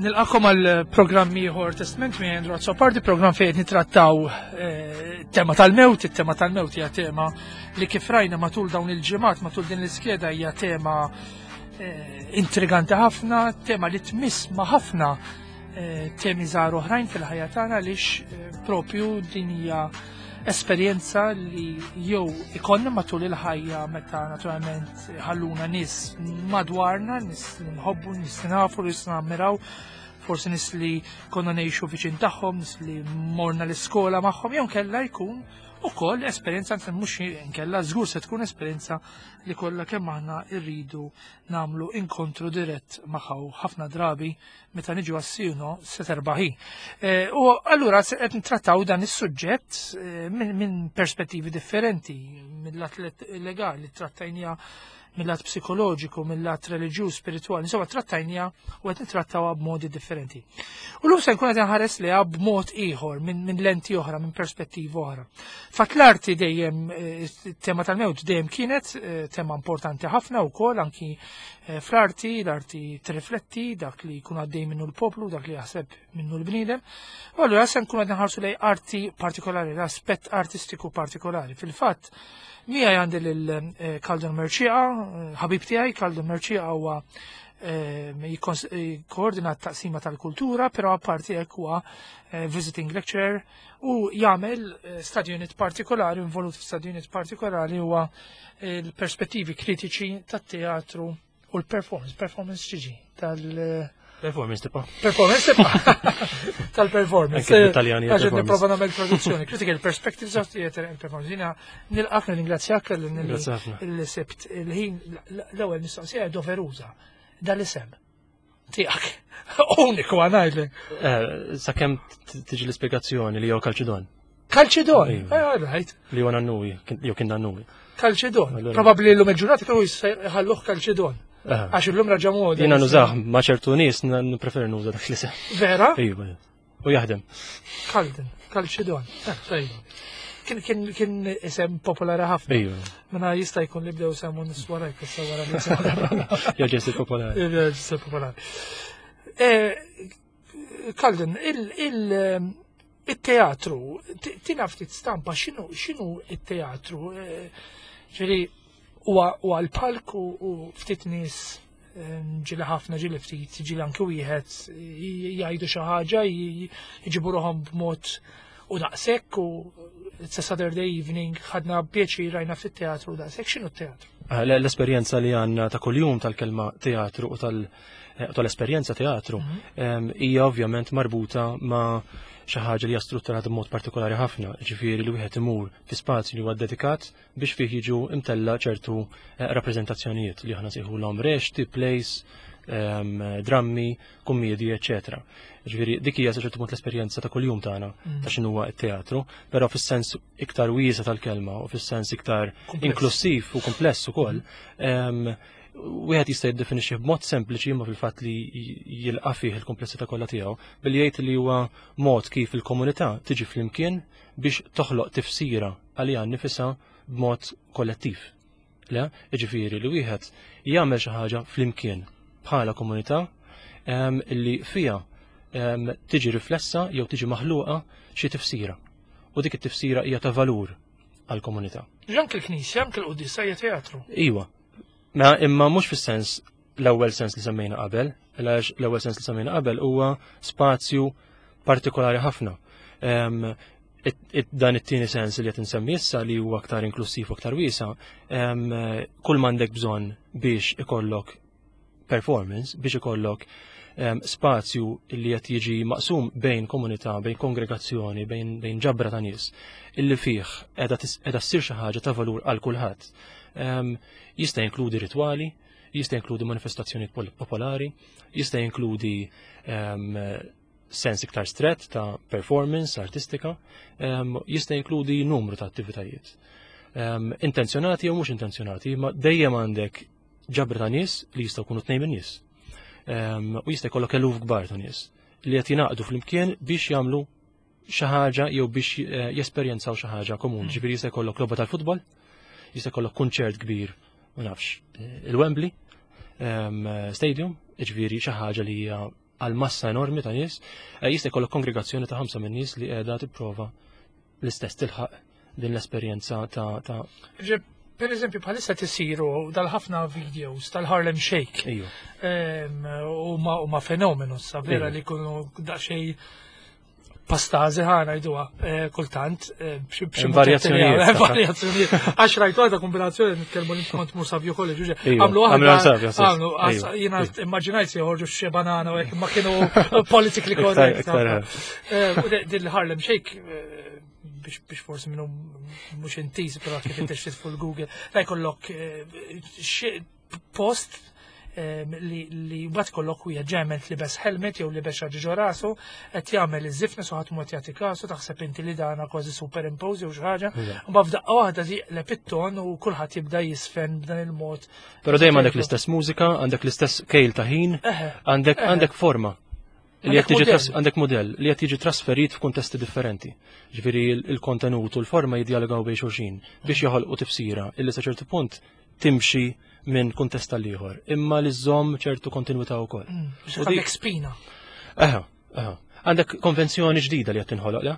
Nilqakom għal programm ieħor Testament minn Andrew Azzopardi, programm fejn qed nitrattaw eh, tema tal-mewt, it-tema tal-mewt hija tema li kif rajna matul dawn il-ġimgħat, matul din l-iskeda hija tema eh, intriganti ħafna, tema li tmiss ma' ħafna eh, temi żgħar oħrajn fil-ħajja tagħna għaliex propju din hija esperjenza li jew ikollna matul il-ħajja meta naturalment ħalluna nies madwarna, nies li nħobbu, nies li nafu, nies li nammiraw, forsi nies li konna ngħixu viċin tagħhom, nies li morna l-iskola magħhom, jew kella jkun ukoll esperjenza mhux nkella żgur se tkun esperjenza li kollha kemm aħna rridu nagħmlu inkontru dirett magħha ħafna drabi meta niġu għas-sino se terbaħi. Eh, u allura qed nittrattaw dan is-suġġett eh, minn perspettivi differenti, mill-lat legali trattajnija mill-lat psikoloġiku, mill-lat reliġjuż, spirituali, insomma trattajnija u qed nittrattawha b'modi differenti. U l-lum se nkun qed nħares liha b'mod ieħor, minn lenti oħra, minn perspettiva oħra. Fatt l-arti dejjem eh, tema tal-mewt dejjem kienet tema importanti ħafna wkoll anki Eh, fl-arti, l-arti trifletti dak li jkun għaddej minnu l-poplu, dak li jaħseb minnu l-bniedem. U allura se nkun qed nħarsu lej arti partikolari, l-aspett artistiku partikolari. Fil-fatt, mija għandi lil eh, Kaldon Merċiqa, eh, ħabib tiegħi, Kaldon Merċiqa huwa jikkoordina t-taqsima tal-kultura, però apparti hekk huwa visiting lecturer u jagħmel study unit partikolari, involut f'study unit partikolari huwa il-perspettivi kritiċi tat-teatru u l-performance, performance ġiġi tal- Performance tipa. Performance tipa. Tal-performance. Anke Italjani. Għax nipprova nagħmel traduzzjoni. Critical perspectives of theater and performance. Jiena nilqak nirringrazzjak l-sibt il-ħin l-ewwel mistoqsija doveruża dal-isem tiegħek. Uniku għanajdlek. Eh, sakemm tiġi l-ispjegazzjoni li jew kalċidon. Kalċidon, eh, all right. Li huwa nannuwi, jew kien nannuwi. Kalċidon. Probabbli l-lum il-ġurnata kienu jħalluh kalċidon. Eh. Għax illum raġa moda. Jiena nużah ma' ċertu nies nippreferi nuża dak li seħ. Vera? Iva. U jaħdem. Kalden, kalċidon. Eh, kien kien kien isem popolari ħafna. Iva. Mela jista' jkun li bdew semmu nies warajk issa wara li Jaġa popolari. Jaġa popolari. Kalden, il-teatru, tina ftit stampa, xinu il-teatru? Eh, ġifieri, huwa l-palk u ftit nies eh, ġili ħafna ġili ftit, ġili anki wieħed jgħidu xi ħaġa, jġibu ruħhom b'mod u daqshekk u it's a Saturday evening ħadna pjaċir rajna fit-teatru daqshekk x'inhu t-teatru? Eh, l-esperjenza li għandna ta' kuljum tal-kelma teatru u tal- eh, tal-esperjenza teatru mhm. hija ovvjament marbuta ma' xi ħaġa li hija strutturata b'mod partikolari ħafna, ġifieri li wieħed imur fi spazju li huwa dedikat biex fih jiġu imtella ċertu eh, rappreżentazzjonijiet li aħna sejħulhom rexti, plays, drammi, kummedji, eċetera. Ġifieri dik hija sa ċertu punt l-esperjenza ta' kuljum tagħna mm. ta' x'inhuwa t-teatru, però fis-sens iktar wiesa tal-kelma u fis-sens iktar inklusiv u kompless ukoll, wieħed jista' jiddefinixxi b'mod sempliċi imma fil-fatt li jilqa' fih il-komplessità kollha tiegħu billi jgħid li huwa mod kif il-komunità tiġi flimkien biex toħloq tifsira għaliha nnifisha b'mod kollettiv. Le, jiġifieri li wieħed jagħmel xi ħaġa flimkien bħala komunità li fiha tiġi riflessa jew tiġi maħluqa xi tifsira. U dik it-tifsira hija ta' valur għall-komunità. Anke l-knisja, anke l-quddiesa hija teatru. Iwa. Ma imma mhux fis-sens l-ewwel sens li semmejna qabel, għax l-ewwel sens li semmejna qabel huwa spazju partikolari ħafna. Dan it-tieni sens li qed insemmi issa li huwa aktar inklusiv u aktar wiesa, kull m'għandek bżonn biex ikollok performance, biex ikollok spazju li qed jiġi maqsum bejn komunità, bejn kongregazzjoni, bejn, bejn ġabra ta' nies, illi fih qiegħda ssir xi ħaġa ta' valur għal kulħadd. Jista' jinkludi ritwali, jista' jinkludi manifestazzjonijiet popolari, jista' jinkludi sens iktar stret ta' performance artistika, jista' jinkludi numru ta' attivitajiet. Intenzjonati jew mhux intenzjonati, ma dejjem għandek ġabra ta' nies li jistgħu jkunu tnejn min-nies. U jista' jkollok eluf kbar ta' nies li qed jingħaqdu flimkien biex jagħmlu xi ħaġa jew biex eh, jesperjenzaw xi ħaġa komuni. Mm. Ġifieri jista' jkollok logħba tal-futbol, jista' jkollok kunċert kbir, ma nafx, eh, il-Wembley ehm, Stadium, ġifieri xi ħaġa li hija għal massa enormi ta' nies, eh, jista' jkollok kongregazzjoni ta' ħamsa minn nies li qiegħda tipprova l-istess tilħaq din l-esperjenza ta' ta' Per eżempju, bħalissa tisiru dal-ħafna videos tal-Harlem Shake. U ma fenomenu sa vera li kunu daqsxejn pastazi ħa ngħiduha eh, kultant eh, b'xi varjazzjonijiet. Varjazzjonijiet. Għax rajtu għadha kombinazzjoni nitkellmu li kont mur Savio College, għamlu waħda. Għamlu, jiena immaġinajt se joħorġu xi banana u hekk ma kienu politically correct. Eh, din Harlem Shake biex forsi minnu mhux intiż però kif intix fuq Google, la jkollok post li li mbagħad kollok wieħed ġemel li bes helmet jew li bes xi ġo rasu qed jagħmel iż-żifna so ħadd mod jagħti kasu taħseb inti li dana kważi superimpose jew xi ħaġa. Mbagħad f'daqqa waħda tiqleb it-ton u kulħadd jibda jisfen b'dan il-mod. Però dejjem għandek l-istess mużika, għandek l-istess kejl ta' ħin, għandek għandek forma li qed tiġi għandek modell li qed jiġi trasferit f'kuntesti differenti. Ġifieri il-kontenut u l-forma jiddialogaw bejn xulxin biex joħolqu tifsira illi sa ċertu punt timxi minn kuntest tal ieħor imma li żżomm ċertu kontinwità wkoll. Mm, għandek spina. Eħa, eħa. Għandek konvenzjoni ġdida li qed tinħoloq, le?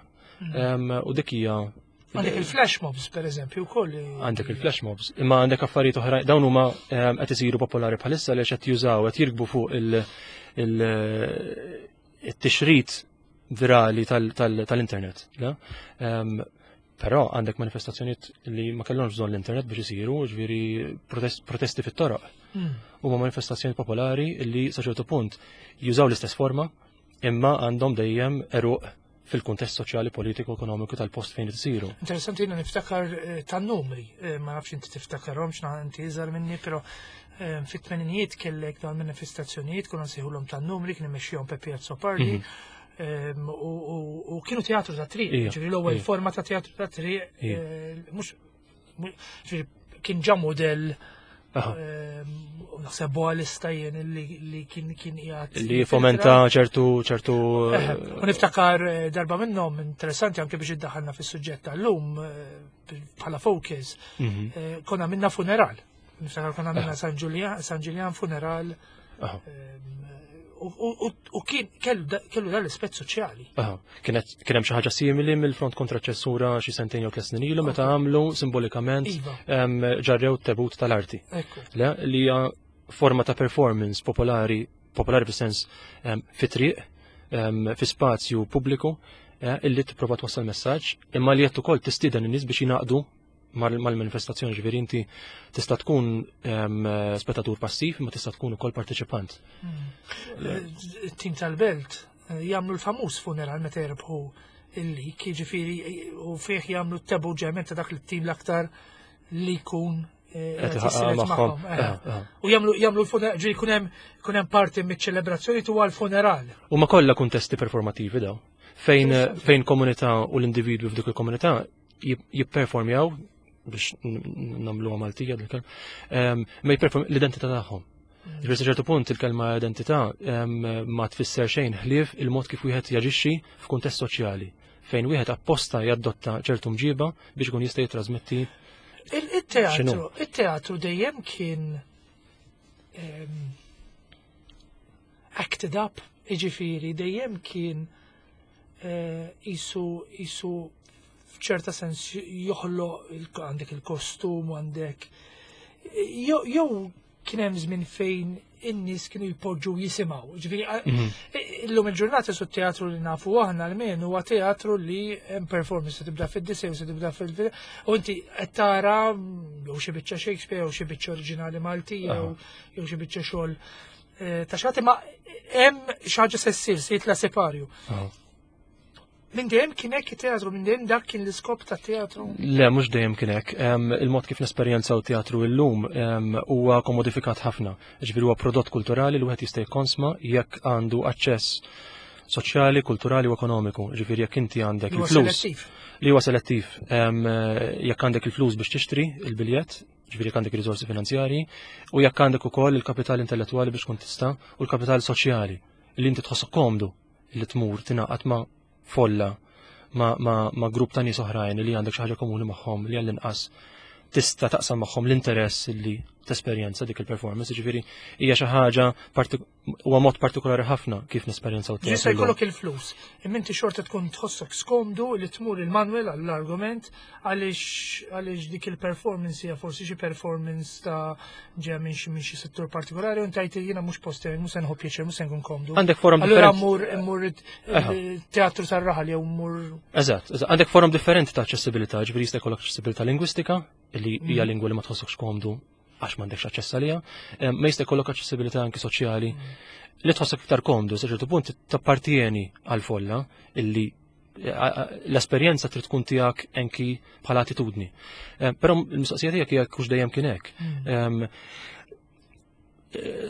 Mm. U dik hija Għandek il-flash mobs, per eżempju, wkoll. Għandek il-flash mobs, imma għandek affarijiet oħra, dawn huma qed isiru popolari bħalissa li qed jużaw, qed jirkbu fuq il-tixrid virali tal-internet. Però għandek manifestazzjonijiet li ma kellhomx bżonn l-internet biex isiru, ġifieri protesti fit-toroq. Huma manifestazzjoni popolari li sa ċertu punt jużaw l-istess forma imma għandhom dejjem eruq fil-kuntest soċjali, politiku, ekonomiku tal-post fejn isiru. Interessanti jiena niftakar eh, tan-numri, eh, ma nafx inti tiftakarhom x'na inti iżgħar minni, però eh, fit-tmeninijiet kellek dawn manifestazzjonijiet konna nsejħulhom tan-numri kien imexxihom Peppi Azzopardi. Mhm. U kienu teatru ta' triq, ġifieri l-ewwel forma ta' teatru ta' triq, mhux kien ġa modell ehm, naħseb boalista jien li kien kien qiegħed. Li fomenta ċertu ċertu. U niftakar eh, darba minnhom interessanti anke biex iddaħħalna fis-suġġett tal-lum eh, bħala focus. Mhm. Eh, konna minna funeral. Niftakar konna minna San Ġiljan funeral. Ehm, u kien kellu dan l-ispett soċjali. Kienet kien hemm xi ħaġa simili mill-front kontra ċensura xi sentejn jew tliet snin ilu meta għamlu simbolikament iva. ġarrew tebut tal-arti. Le li hija forma ta' performance popolari, popolari fis-sens fi triq, fi spazju pubbliku, eh, illi tipprova twassal messaġġ, imma li qed ukoll tistieden in-nies biex jingħaqdu mal-manifestazzjoni ġifieri inti tista' tkun spettatur passiv imma tista' tkun ukoll parteċipant. Hmm. It-tim tal-belt eh, jagħmlu l-famuż funeral meta jirbħu il-lik, jiġifieri eh, u fih jagħmlu t-tebu ġement ta' dak it-tim l-aktar li jkun eh, magħhom. U jagħmlu jagħmlu l-funeral, ġifieri jkun hemm jkun hemm parti miċ-ċelebrazzjoni tuwa l-funeral. Huma kollha kuntesti performativi daw. Fejn fejn komunità u l-individwi f'dik il-komunità jipperformjaw biex namlu Maltija dil-kelma, ehm, ma jipperform l-identità tagħhom. Mm. Ġifieri ċertu punt il-kelma identità ehm, ma tfisser xejn ħlief il-mod kif wieħed jaġixxi f'kuntest soċjali fejn wieħed apposta jaddotta ċertu mġiba biex ikun jista' jitrasmetti. Il-teatru, il-teatru dejjem kien ehm, acted up, iġifieri dejjem kien eh, isu isu f'ċerta sens joħloq għandek il-kostum għandek jew kien hemm żmien fejn in-nies kienu jpoġġu jisimgħu. Ġifieri mhm. illum il-ġurnata su teatru li nafu aħna almenu huwa teatru li hemm performance se tibda fid-disej se tibda fil u inti qed tara jew xi biċċa Shakespeare jew xi biċċa oriġinali Maltija jew xi biċċa xogħol eh, ta' xagħti ma hemm xi ħaġa se ssir se jitla' separju. Minn dejjem kien hekk it-teatru, minn dejjem dak kien l-iskop ta' teatru? Le, mhux dejjem kien hekk. Il-mod kif nesperjenzaw teatru illum huwa komodifikat ħafna. Ġifieri huwa prodott kulturali li wieħed jista' jikkonsma jekk għandu aċċess soċjali, kulturali u ekonomiku. Ġifieri jekk inti għandek il-flus. Li huwa selettiv. Jekk għandek il-flus biex tixtri il-biljett, ġifieri jekk għandek riżorsi finanzjarji, u jekk għandek ukoll il-kapital intellettwali biex tkun tista' u l-kapital soċjali li inti tħossok komdu li tmur tingħaqad ma' folla ma', ma, ma grupp ta' nies oħrajn li għandek xi ħaġa komuni magħhom li għall-inqas tista' taqsam magħhom l-interess li tesperjenza dik il-performance, ġifieri hija xi ħaġa huwa mod partikolari ħafna kif nesperjenzaw teatru. Jista' jkollok il-flus, imma inti xorta tkun tħossok skomdu li tmur il-Manuel għall-argument għaliex għaliex dik il-performance hija forsi xi performance ta' ġeja minn xi minn xi settur partikolari u ntajt jiena mhux post mhux se nħobb pjaċir, mhux se nkun komdu. Għandek forum Allura mmur immur teatru tar-raħal jew mmur. Eżatt, għandek forum differenti ta' aċċessibilità, ġifieri jista' jkollok aċċessibilità lingwistika, li hija mm. lingwa li ma tħossokx komdu għax m'għandekx aċċess għaliha, eh, ma jista' jkollok aċċessibilità anki soċjali mm. li tħossok iktar komdu, sa ċertu punt tappartieni għal folla illi eh, l-esperjenza trid tkun tiegħek anki bħala attitudni. Eh, però l-mistoqsija tiegħek hija kux dejjem kien hekk. Mm.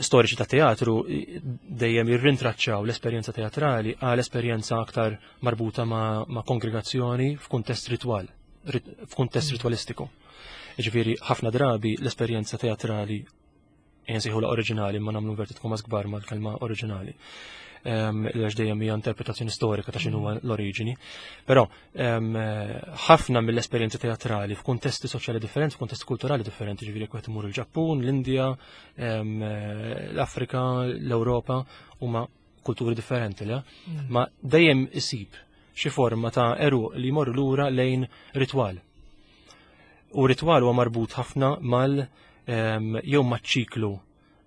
Storiċi ta' teatru dejjem jirrintraċċaw l-esperjenza teatrali għal esperjenza aktar marbuta ma', ma kongregazzjoni f'kuntest ritwal, f'kuntest mm. ritwalistiku. Ġifieri ħafna drabi l-esperjenza teatrali la oriġinali ma nagħmlu inverted commas kbar mal-kelma oriġinali. Għax dejjem hija interpretazzjoni storika ta' x'inhuwa l-oriġini. Però ħafna mill-esperjenzi teatrali f'kuntesti soċjali differenti, f'kuntesti kulturali differenti, ġifieri jekk wieħed imur il-Ġappun, l-Indja, l-Afrika, l-Ewropa, huma kulturi differenti, le? Mm. Ma dejjem isib xi forma ta' eru li jmorru lura lejn ritwal. U ritwal huwa marbut ħafna mal jew maċ-ċiklu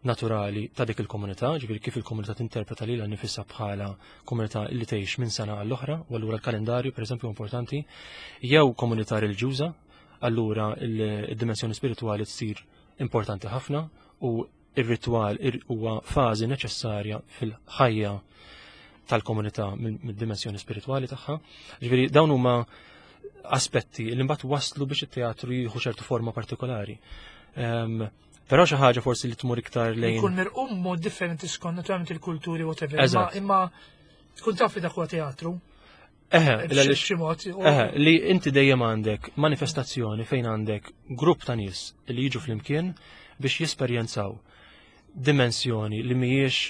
naturali ta' dik il-komunità, ġifieri kif il-komunità tinterpreta lilha nifisha bħala komunità li tgħix minn sena għall-oħra, u allura l-kalendarju pereżempju importanti, jew komunità reliġjuża, allura il-dimensjoni spiritwali tsir importanti ħafna u ir-ritwal huwa fażi neċessarja fil-ħajja tal-komunità mid-dimensjoni spiritwali tagħha. Ġifieri dawn huma aspetti li mbagħad waslu biex it-teatru jieħu ċertu forma partikolari. Ehm, però xi ħaġa forsi li tmur iktar lejn. Jkun mirqum mod differenti skont naturalment il-kulturi whatever. Imma tkun taf li dak huwa teatru. Eħe, eħe, li inti dejjem għandek manifestazzjoni fejn għandek grupp ta' nies li jiġu flimkien biex jesperjenzaw dimensjoni li mhijiex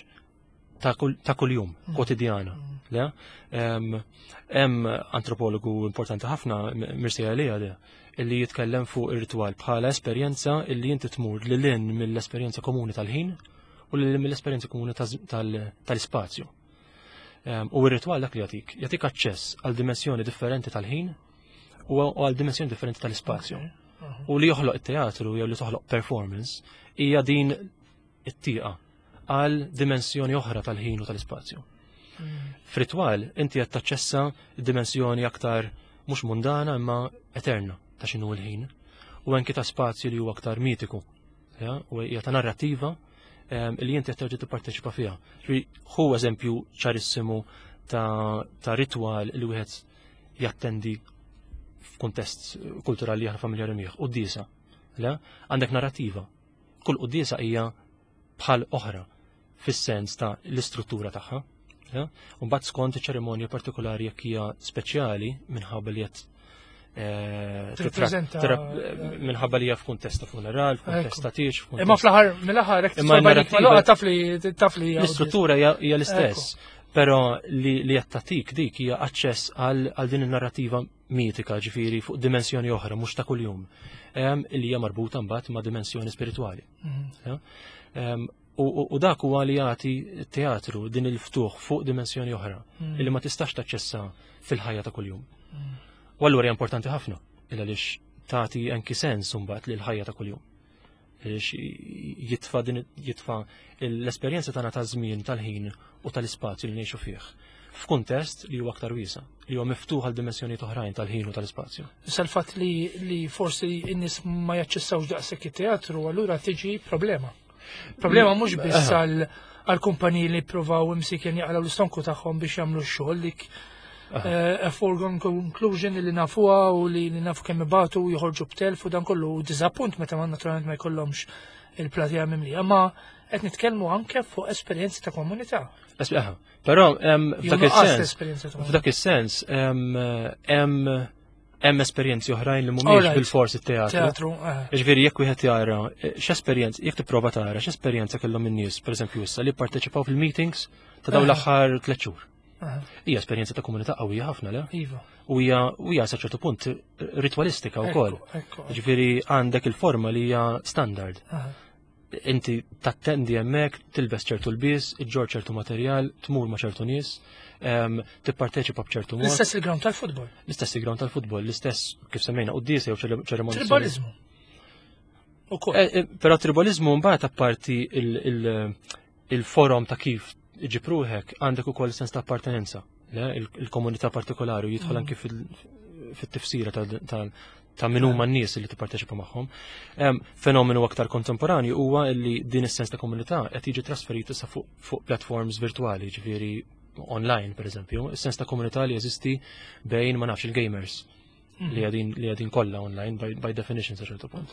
ta' kuljum, mm. kwotidjana. Mm. Le? Hemm antropologu importanti ħafna, Mircea Eliade, illi jitkellem fuq ir-ritwal bħala esperjenza illi inti tmur lil hinn mill-esperjenza komuni tal-ħin u lil mill-esperjenza komuni tal-ispazju. U r-ritwal dak li jagħtik, jagħtik aċċess għal dimensjoni differenti tal-ħin u għal dimensjoni differenti tal-ispazju. U li joħloq it-teatru jew li toħloq performance hija din it-tieqa għal dimensjoni oħra tal-ħin u tal-ispazju. Mm. F'ritwal inti qed taċċessa dimensjoni aktar mhux mundana imma eterna ta' x'inhu l-ħin u anki ta' spazju li huwa aktar mitiku ja, u hija ta' narrativa li inti qed terġa' tipparteċipa fiha. Hu eżempju ċarissimu ta', ta ritwal li wieħed jattendi f'kuntest kulturali aħna familjari miegħu, quddiesa. Le, għandek narrativa. Kull quddiesa hija bħal oħra fis-sens ta' l-istruttura tagħha. U mbagħad skont ċerimonja partikolari jekk hija speċjali minħabba li qed eh, minħabba li hija f'kuntest ta' funeral, f'kuntest ta' tiex, Imma fl-aħħar mill-aħħar hekk imma narrativa taf li taf li l-istruttura hija l-istess. Però li li qed tagħtik dik hija aċċess għal din in-narrativa mitika, ġifieri fuq dimensjoni oħra mhux ta' kuljum, li hija marbuta mbagħad ma' dimensjoni spiritwali. Mhm. U dak huwa li jagħti teatru din il-ftuħ fuq dimensjoni oħra mm. li ma tistax taċċessa fil-ħajja ta' kuljum. Mm. U allura hija importanti ħafna il għaliex tagħti anki sens imbagħad lil ħajja ta' kuljum. Jitfa din jitfa l-esperjenza tagħna ta' żmien tal-ħin u tal-ispazju li ngħixu fih f'kuntest li huwa aktar wiesa, li huwa miftuħ għal dimensjonijiet oħrajn tal-ħin u tal-ispazju. Issa l-fatt li, li forsi n-nies ma jaċċessawx daqshekk it-teatru, allura tiġi problema. Problema mhux biss għal għal kumpaniji li provaw imsiken jaqlaw l-istonku tagħhom biex jagħmlu x-xogħol dik eh, a foregone conclusion li nafuha u li nafu kemm ibatu joħorġu b'telf u dan kollu diżappunt meta ma naturalment ma jkollhomx il-platija mimlija. Ma qed nitkellmu anke fuq esperjenzi ta' komunità. Però f'dak is-sens, f'dak is-sens hemm hemm esperjenzi oħrajn li mhumiex bil-fors it-teatru. Eh. Ġifieri jekk wieħed jara eh, x'esperjenza, jekk tipprova tara x'esperjenza kellhom in-nies, pereżempju issa li pparteċipaw fil-meetings ta' dawn eh. l-aħħar tliet xhur. Hija esperjenza ta' komunità qawwija ħafna, le? Iva. U hija u hija sa ċertu punt ritualistika wkoll. Ġifieri għandek il-forma li hija standard. Inti tattendi hemmhekk, tilbes ċertu lbies, iġġor ċertu materjal, tmur ma' ċertu nies, tipparteċipa b'ċertu mod. L-istess il-ground tal-futbol. L-istess il-ground tal-futbol, l-istess kif semmejna quddiesa jew ċerimonja. Tribalizmu. Ukoll. Però tribalizmu mbagħad apparti il-forom ta' kif iġib ruħek għandek ukoll sens ta' appartenenza, il-komunità partikolari u jidħol anki fit-tifsira ta' min huma n-nies li tipparteċipa magħhom. Fenomenu aktar kontemporanju huwa li din is-sens ta' komunità qed jiġi trasferit issa fuq platforms virtuali, ġifieri online pereżempju, is-sens ta' komunità li jeżisti bejn ma nafx il-gamers li għadin li għadin kollha online by definition sa ċertu punt.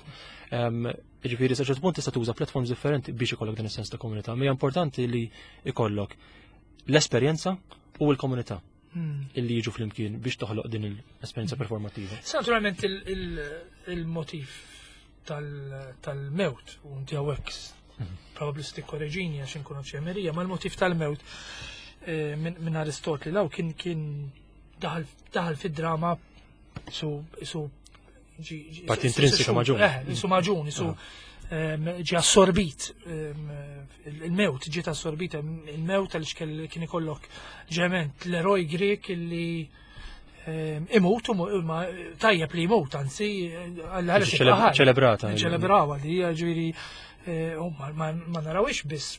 Ġifieri sa ċertu punt tista' tuża platforms differenti biex ikollok din is-sens ta' komunità, ma hija importanti li ikollok l-esperjenza u l-komunità illi jiġu flimkien biex toħloq din l-esperjenza performattiva. Sa naturalment il-motiv tal-mewt, u inti hawnhekk probabbli se tikkoreġini għax inkun ċemerija, ma l-motiv tal-mewt minn Aristotli law kien daħal fid-drama su Parti intrinsika maġun. Su maġun, su ġi assorbit il-mewt, ġiet assorbita il-mewt għaliex kien ikollok ġement l-eroj Grek illi imut, ma tajjeb li jmut, anzi, għalla Ċelebrata. Ċelebrawa li hija ġifieri ma narawix biss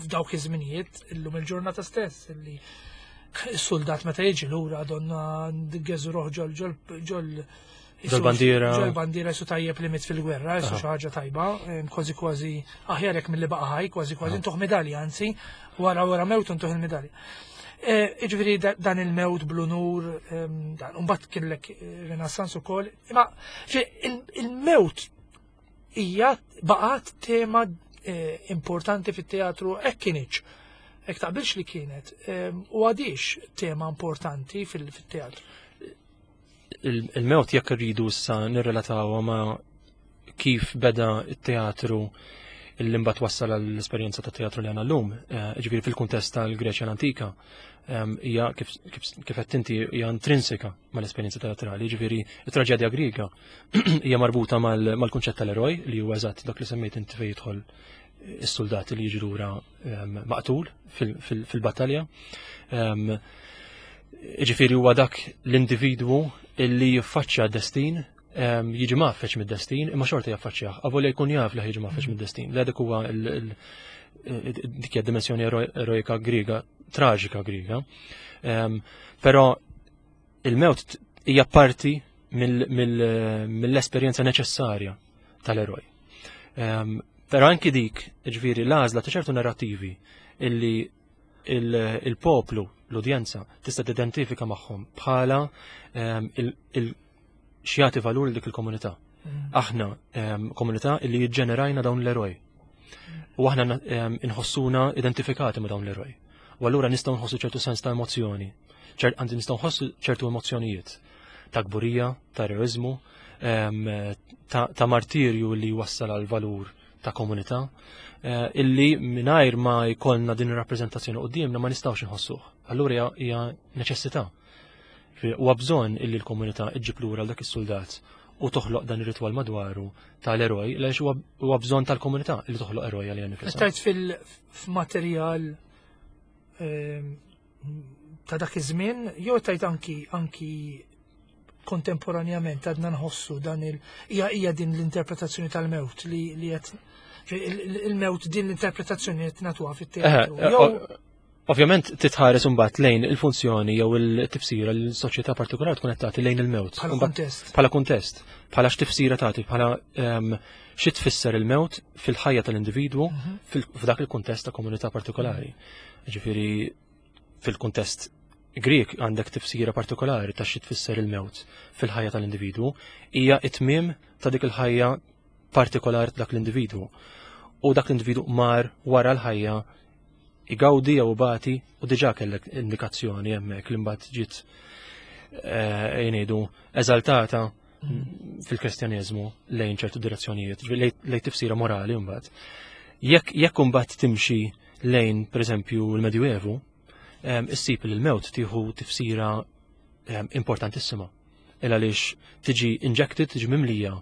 f'dawk iż-żminijiet illum il-ġurnata stess illi s-soldat meta jiġi lura donna geżu roħ ġol ġol ġol Ġol bandiera. Ġol bandiera jisu tajjeb li mit fil-gwerra, jisu xi ħaġa tajba, kważi kważi aħjar jekk milli baqa' ħaj, kważi kważi ntuħ medalja, anzi, wara wara mewt ntuħ il-medalja. Jiġifieri dan il-mewt bl-unur, dan imbagħad kellek Renaissance ukoll, imma il-mewt hija baqgħet tema importanti fit-teatru hekk kienx. Hekk taqbilx li kienet, u għadix tema importanti fil-teatru. Il-mewt jekk irridu issa nirrelatawha ma' kif beda t-teatru illi mbagħad wassal għall-esperjenza ta' teatru li għandna llum, ġifieri fil-kuntest tal-Greċja l-antika, hija kif qed inti hija intrinsika mal-esperjenza teatrali, ġifieri it-traġedja Griega hija marbuta mal-kunċett tal-eroj li huwa eżatt dak li semmejt inti fejn jidħol is-soldati li jiġu lura maqtul fil-battalja. Ġifieri huwa dak l-individwu illi jiffaċċja d-destin, jiġi mgħaffeġ mid-destin, imma xorta jaffaċċjah, avolja jkun jaf li jiġi mgħaffeġ mid-destin. Le dik huwa dik hija dimensjoni eroika Griega, traġika Griega. Però il-mewt hija parti mill-esperjenza neċessarja tal-eroj. Però anki dik, ġifieri l-għażla ta' ċertu narrativi illi il-poplu, l-udjenza, tista' tidentifika magħhom bħala x'jagħti valur dik il-komunità. Aħna komunità illi jiġġenerajna dawn l-eroj. U aħna inħossuna identifikati ma' dawn l-eroj. U allura nistgħu nħossu ċertu sens ta' emozzjoni. Anzi nistgħu nħossu ċertu emozzjonijiet ta' kburija, ta' eroiżmu, ta' martirju li wassal għal valur ta' komunità, illi mingħajr ma jkollna din ir-rappreżentazzjoni quddiemna ma nistgħux inħossuh. Allura hija neċessità. Huwa bżonn illi l-komunità iġġib lura dak is-soldat u toħloq dan ir-ritwal madwaru tal-eroj, għaliex huwa bżonn tal-komunità li toħloq eroj għalija nifisha. Tajt fil-materjal ta' dak iż-żmien, jew tajt anki kontemporanjament għadna nħossu dan il hija din l-interpretazzjoni tal-mewt li qed il-mewt din l-interpretazzjoni qed nagħtuha fit-teatru. Ovvjament titħares imbagħad lejn il-funzjoni jew il-tifsira li l-soċjetà partikolari tkun qed tagħti lejn il-mewt. Bħala kuntest. Bħala kuntest, bħala x'tifsira tagħti, bħala xi tfisser il-mewt fil-ħajja tal-individwu f'dak il-kuntest ta' komunità partikolari. Ġifieri fil-kuntest Grieg għandek tifsira partikolari ta' xi tfisser il-mewt fil-ħajja tal-individwu, hija it-tmiem ta' dik il-ħajja partikolari ta' dak l-individwu. U dak l-individwu mar wara l-ħajja igawdi jew ibati u diġà kellek indikazzjoni hemmhekk li mbagħad ġiet jgħidu eżaltata fil-Kristjaneżmu lejn ċertu direzzjonijiet, lejn tifsira morali mbagħad. Jekk imbagħad timxi lejn pereżempju l-Medjuevu, issib li l-mewt tieħu tifsira importantissima. Il għaliex tiġi injected, tiġi mimlija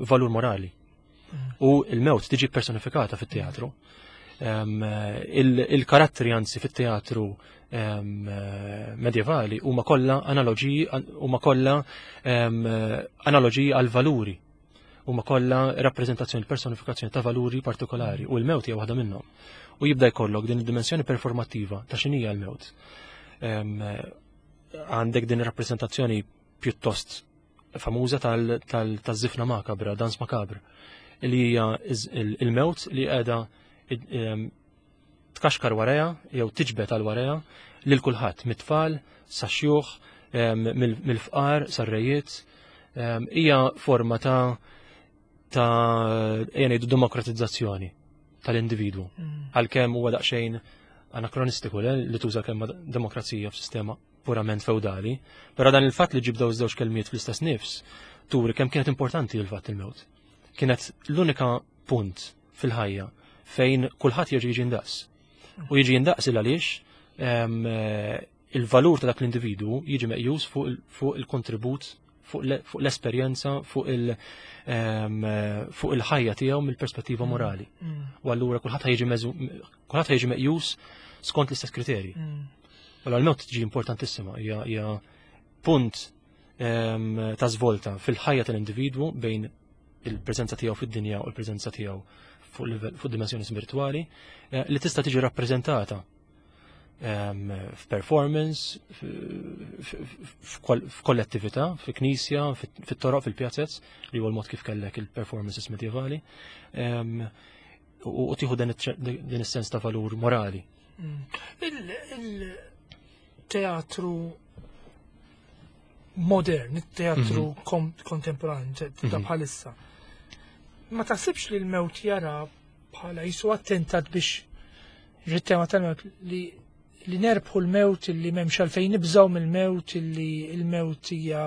valur morali. U l-mewt tiġi personifikata fit-teatru. Il-karattri anzi fit-teatru medjevali huma kollha analoġiji huma kollha analoġiji għal valuri huma kollha rappreżentazzjoni personifikazzjoni ta' valuri partikolari u l-mewt hija waħda minnhom. U jibda jkollok din id-dimensjoni performattiva ta' x'inhija l-mewt. Għandek din ir-rappreżentazzjoni pjuttost famuża tal-żifna makabra, dans makabra, li hija il-mewt li qiegħda tkaxkar warajha jew tiġbed għal warajha lil kulħadd mit-tfal sa xjuħ mill-fqar sar-rejiet hija forma ta' ta' ejja ngħidu demokratizzazzjoni tal-individwu. Għalkemm huwa daqsxejn anakronistiku li tuża kelma demokrazija f'sistema purament feudali, però dan il-fatt li ġib daw iż-żewġ kelmiet fl-istess nifs turi kemm kienet importanti l-fatt il-mewt. Kienet l-unika punt fil-ħajja fejn kulħadd jerġa' jiġi ndaqs. U jiġi ndaqs il għaliex il-valur ta' dak l-individwu jiġi meqjus fuq il-kontribut, fuq l-esperjenza, fuq il-ħajja tiegħu mill-perspettiva morali. U allura kulħadd kulħadd jiġi meqjus skont l-istess kriterji. Allora l-mewt tiġi importantissima, hija punt ta' svolta fil-ħajja tal-individwu bejn il-preżenza tiegħu fid-dinja u l-preżenza tiegħu fuq dimensjoni spiritwali li tista' tiġi rappreżentata f'performance, f'kollettività, fi-knisja, fit-toroq, fil-pjazzez, li huwa l-mod kif kellek il-performances medjevali, u tieħu din is-sens ta' valur morali. Il-teatru modern, il-teatru kontemporanju ta' bħalissa. Ma taħsibx li l-mewt jara bħala jisu attentat biex ġit-tema tal-mewt li nerbħu l-mewt li m'hemmx għalfejn nibżgħu mill-mewt li l-mewt hija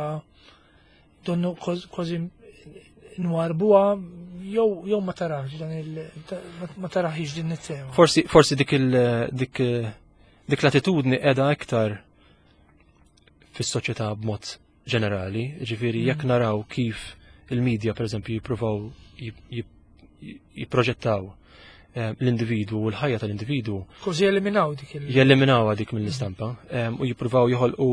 donnu kważi nwarbuha jew ma tarax dan il ma taraħix din it-tema. Forsi dik il dik dik l-attitudni qiegħda iktar fis-soċjetà b'mod ġenerali, ġifieri jekk naraw kif il-medja pereżempju jippruvaw jipproġettaw l-individwu u l-ħajja tal-individwu. Kważi jeliminaw dik il- Jeliminaw dik mill-istampa u jippruvaw joħolqu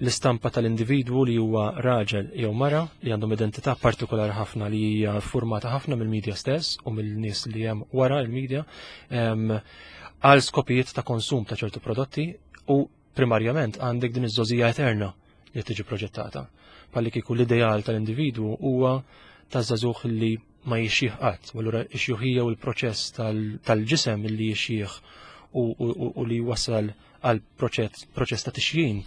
l-istampa tal-individwu li huwa raġel jew mara li għandhom identità partikolari ħafna li hija formata ħafna mill-medja stess u mill-nies li hemm wara l-medja għal skopijiet ta' konsum ta' ċertu prodotti u primarjament għandek din iż-żożija eterna li tiġi proġettata. Palli kieku l-ideal tal-individwu huwa ta' żagħżugħ li ma jixjih qatt, u allura x-xjuħija u l-proċess tal-ġisem li jixjih u li wasal għal proċess ta' tixjin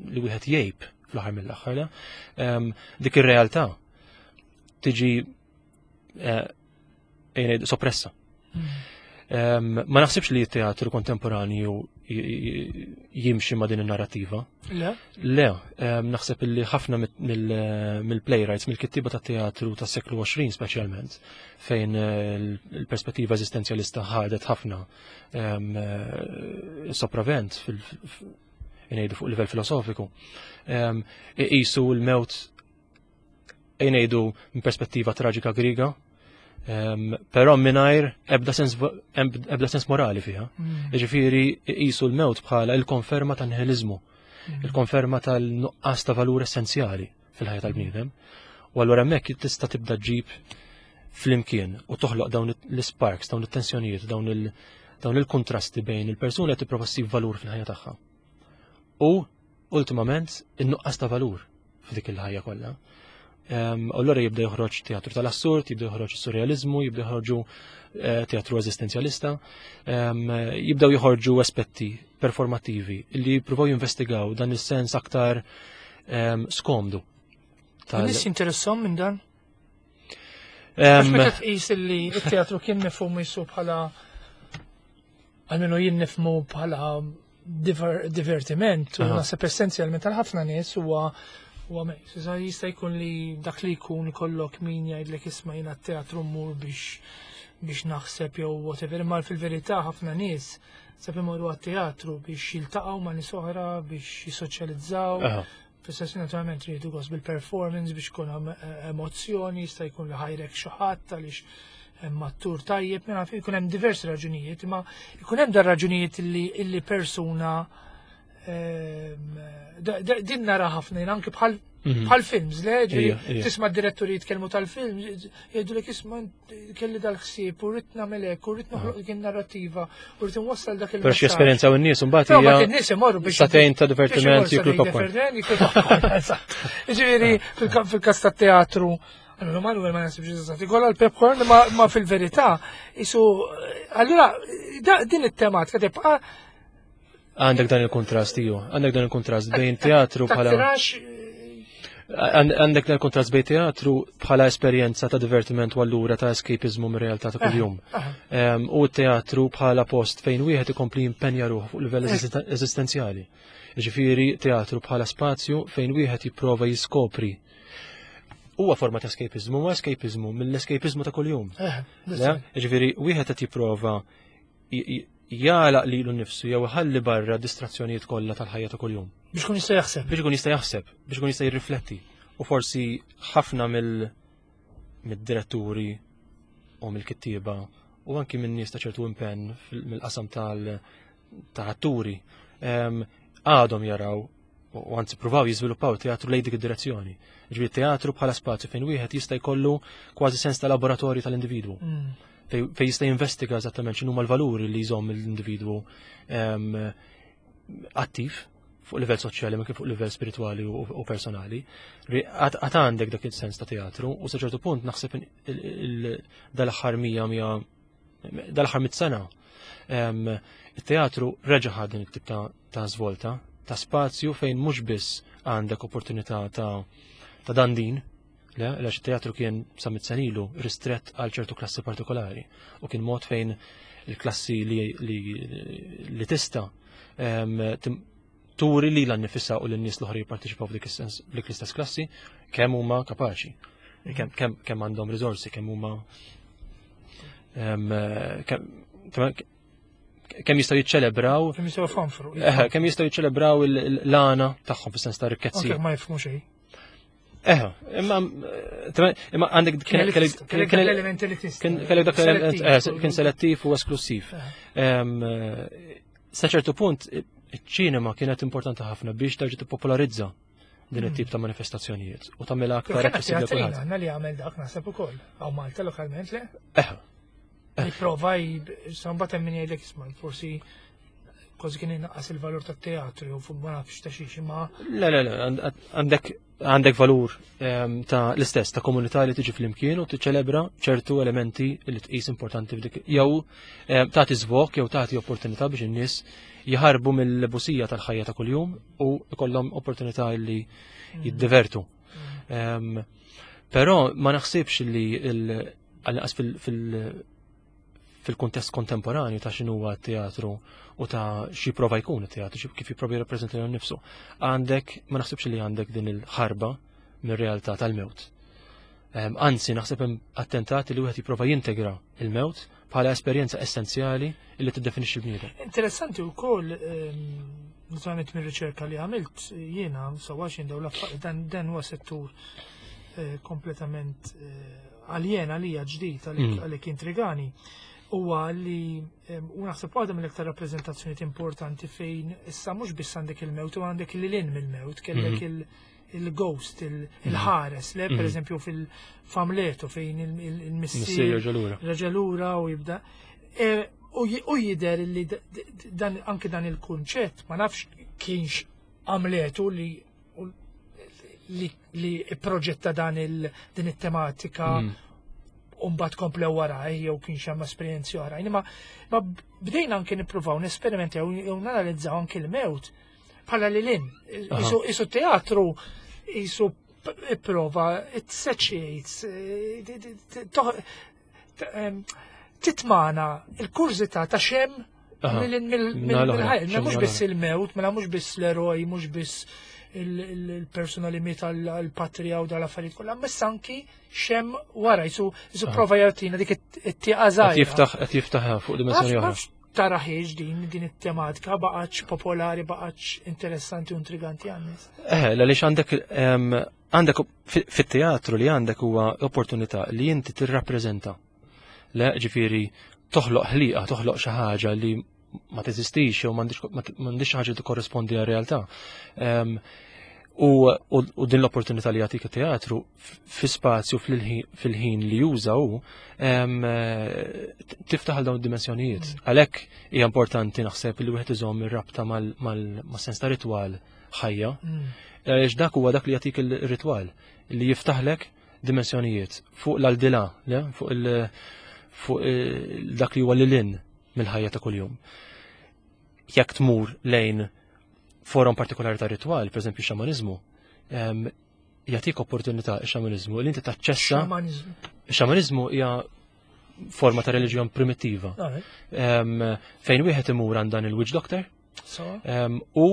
li wieħed jgħib fl-aħħar mill-aħħar. Dik ir-realtà tiġi soppressa. Ma naħsibx li t-teatru kontemporanju jimxi ma' din in-narrativa. Le? Le, naħseb li ħafna mill-playwrights, mill-kittiba ta' teatru tas seklu 20 speċjalment, fejn il-perspettiva eżistenzjalista ħadet ħafna sopravent ngħidu fuq livell filosofiku. Iqisu l-mewt ngħidu minn perspettiva traġika Griega, però mingħajr ebda sens morali fiha. Jiġifieri iqisu l-mewt bħala il-konferma tan-nihilizmu, il-konferma tal-nuqqas ta' valur essenzjali fil-ħajja tal-bniedem. U allura hemmhekk tista' tibda ġib flimkien u toħloq dawn l-sparks, dawn it-tensjonijiet, dawn il-kontrasti bejn il-persuna li tipprova ssib valur fil-ħajja tagħha. U ultimament in-nuqqas ta' valur f'dik il-ħajja kollha. Allura jibda joħroġ teatru tal-assurd, jibda joħroġ surrealizmu, jibda joħorġu teatru eżistenzjalista, jibdaw joħorġu aspetti performativi li jippruvaw jinvestigaw dan is-sens aktar skomdu. Nies jinteressom minn dan? Għax meta tqis li t-teatru kien mifhum jisu bħala għalmenu jien nifhmu bħala divertiment u naħseb essenzjalment għal ħafna nies huwa mejs. Iżda jista' jkun li dak li jkun ikollok min jgħidlek isma' jiena t-teatru mmur biex naħseb jew whatever, imma fil-verità ħafna nies sab imorru għat-teatru biex jiltaqgħu ma' nies oħra, biex jissoċjalizzaw. Fis-sens naturalment rridu gost bil-performance biex ikun hemm emozzjoni, jista' jkun li ħajrek xi ħadd għaliex hemm attur tajjeb, minn naf ikun hemm diversi raġunijiet, imma ikun hemm dar raġunijiet illi persuna din nara ħafna jien anki bħal mhm. bħal films, le, tisma' d-diretturi jitkellmu tal-film, jgħidu li isma' kelli dal-ħsieb u rrid nagħmel hekk u rrid noħloq dik in-narrattiva u rrid inwassal dak il Però xi esperjenzaw in-nies imbagħad hija in-nies imorru biex satejn ta' divertiment jiklu popcorn. Ġifieri fil-każ tat-teatru Allora Manuel ma nasibx eżatt ikolla l-popcorn ma fil-verità isu allura din it-tematika tibqa' Għandek dan il-kontrast, iju. Għandek dan il-kontrast bejn teatru bħala. Għandek dan il-kontrast bejn teatru bħala esperjenza ta' divertiment u allura ta' escapismu mir realtà ta' kuljum. U teatru bħala post fejn wieħed ikompli jimpenja ruħu fuq livell eżistenzjali. Ġifieri teatru bħala spazju fejn wieħed jipprova jiskopri huwa forma ta' escapismu, huwa escapismu mill-escapismu ta' kuljum. Ġifieri wieħed qed jipprova jagħlaq lilu nnifsu jew iħalli barra distrazzjonijiet kollha tal-ħajja ta' kuljum. Biex kun jista' jaħseb. Biex ikun jista' jaħseb, biex ikun jista' jirrifletti. U forsi ħafna mill mid-diretturi u mill-kittieba u anki minn nies ta' ċertu impenn mill-qasam tal-atturi għadhom jaraw u anzi pruvaw jiżviluppaw teatru lejn dik id-direzzjoni. Ġifieri teatru bħala spazju fejn wieħed jista' jkollu kważi sens ta' laboratorju tal-individwu. Mm. Fejn jista' jinvestiga eżattament x'inhuma l-valuri li jżomm l-individwu ehm, attiv fuq livell soċjali ma kif fuq livell spiritwali u personali. Għat għandek dak il-sens ta' teatru u sa ċertu punt naħseb dal-aħħar mija mija dal-aħħar mit sena it-teatru reġa' ħa din it-tip ta' svolta, ta' spazju fejn mhux biss għandek opportunità ta' ta' dandin, le, għax it-teatru kien sa mit sena ilu ristrett għal ċertu klassi partikolari u kien mod fejn il-klassi li, li, li tista turi li l-nifissa u l-nies l-oħra jipparteċipaw f'dik l-istess klassi kemm huma kapaċi, kemm għandhom riżorsi, kemm huma kemm jistgħu jiċċelebraw. Kemm jistgħu fanfru. Kemm jistgħu jiċċelebraw l-għana tagħhom fis-sens ta' rikkezzi. Anke ma jifhmu xejn. Eħe, imma imma għandek kien element elitist. Kellek dak element eh, kien selettiv u esklusiv. Sa ċertu punt iċ-ċinema kienet importanti ħafna biex terġa' tippopolarizza din hmm. it-tip ta' manifestazzjonijiet u tagħmilha aktar aċċessibbli kulħadd. Għandna li għamel dak naħseb ukoll. Hawn Malta lokalment le? Eħe. Nipprova mbagħad hemm min jgħidlek isma' forsi kważi kien inqas il-valur tat-teatru jew fuq ma nafx ta' xiex imma. Le, le, le, għandek għandek valur ehm, ta' l-istess ta' komunità li tiġi flimkien u tiċċelebra ċertu elementi li tqis importanti f'dik jew ehm, tagħti żvok jew tagħti opportunità biex in-nies jħarbu mill-busija tal-ħajja ta' kuljum u jkollhom opportunità li mm. jiddivertu. Mm. Ehm, però ma naħsibx li għal-inqas fil-kuntest kontemporanju ta' x'inhuwa t-teatru u ta' xi prova jkun it-teatru, kif jipprova jirrappreżenta lilu nnifsu. Għandek, ma naħsibx li għandek din il-ħarba mir-realtà tal-mewt. Ehm, anzi, naħseb hemm attentati li wieħed jipprova jintegra il-mewt bħala esperjenza essenzjali li tiddefinixxi l-bniedem. Interessanti wkoll ehm, naturalment mir-riċerka li għamilt jiena sewwa xejn dawn l-affarijiet dan huwa settur eh, kompletament eh, aljen għalija ġdid mm. għalhekk intrigani huwa li u naħseb waħda mill-iktar rappreżentazzjonijiet importanti fejn issa mhux biss għandek il-mewt u għandek il-lin mill-mewt, kellek mm-hmm. il-ghost, mm-hmm. il-ħares, le per mm-hmm. eżempju fil-famletu fejn il-missier reġalura u jibda. E, u jider li dan anke dan il-kunċett ma nafx kienx għamletu li li, li proġetta dan il, din it-tematika mm. u mbagħad komplew waraj jew kien xi esperjenzi oħrajn. Imma ma bdejna anke nippruvaw nesperimentaw jew nanalizzaw anke l-mewt bħala li lin. Isu teatru isu ipprova it satiates eh, titmana il-kurżità ta' xem mill-ħajja, mhux biss il-mewt, mela mhux biss l-eroj, mhux biss il-persuna li miet għal-patrija u dal-affarijiet kollha, ma anki xem wara jisu jisu prova jagħtina dik it-tieqa żgħira. Qed jiftaħ qed jiftaħ fuq dimensjoni oħra. taraħiex din din it-tematika baqgħetx popolari, baqgħetx interessanti u intriganti għan-nies. Eh, għaliex għandek għandek fit-teatru li għandek huwa opportunità li inti tirrappreżenta. Le, ġifieri toħloq ħliqa, toħloq xi ħaġa li ma teżistix jew m'għandix xi ħaġa li tikkorrispondi għar-realtà. U, u, u din l-opportunità li jagħtik it-teatru fi spazju fil-ħin li juża hu tiftaħ għal dawn id-dimensjonijiet. Mm. Għalhekk hija importanti naħseb li wieħed iżomm ir-rabta mal-sens ta' ritwal ħajja. Mm. Għaliex dak huwa dak li jagħtik il-ritwal li jiftaħlek dimensjonijiet fuq l-aldilà, fuq il fuq dak li huwa lilin mill-ħajja ta' kuljum. Jekk tmur lejn forum partikolari ta' ritwal, per eżempju xamaniżmu, jagħtik opportunità x-xamaniżmu li inti taċċessa. Xamaniżmu hija forma ta' reliġjon primittiva. Fejn wieħed imur għand dan il-witch doctor u